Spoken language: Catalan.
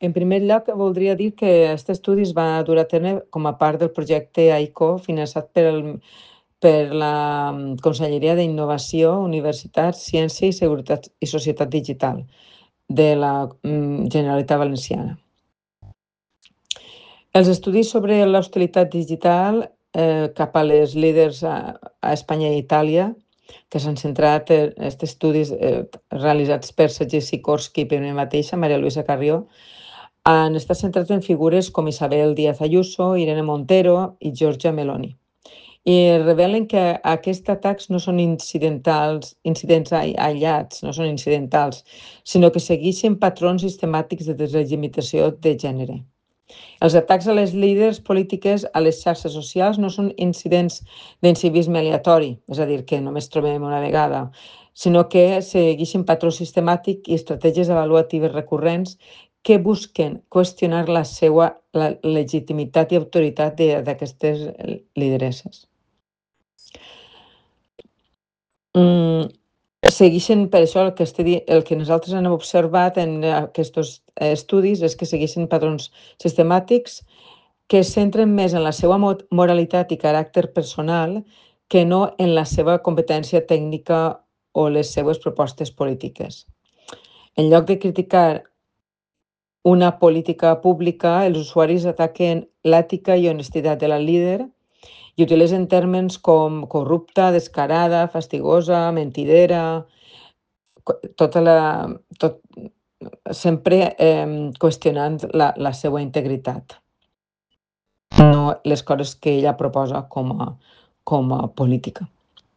En primer lloc, voldria dir que aquest estudi es va dur a terme com a part del projecte AICO, finançat per la Conselleria d'Innovació, Universitats, Ciència i Seguretat i Societat Digital de la Generalitat Valenciana. Els estudis sobre l'hostilitat digital cap a les líders a Espanya i Itàlia, que s'han centrat en aquests estudis realitzats per Sergi Sikorsky i per mi mateixa, Maria Luisa Carrió, han estat centrats en figures com Isabel Díaz Ayuso, Irene Montero i Giorgia Meloni. I revelen que aquests atacs no són incidents aïllats, no són incidentals, sinó que segueixen patrons sistemàtics de deslegitimació de gènere. Els atacs a les líders polítiques a les xarxes socials no són incidents d'incivisme aleatori, és a dir, que només trobem una vegada, sinó que segueixen patrons sistemàtics i estratègies avaluatives recurrents que busquen qüestionar la legitimitat i autoritat d'aquestes lideresses. Segueixen, per això, el que nosaltres hem observat en aquests estudis és que segueixen patrons sistemàtics que es centren més en la seva moralitat i caràcter personal que no en la seva competència tècnica o les seues propostes polítiques. En lloc de criticar una política pública, els usuaris ataquen l'ètica i honestitat de la líder i utilitzen termes com corrupta, descarada, fastigosa, mentidera, sempre qüestionant la seva integritat, no les coses que ella proposa com a política.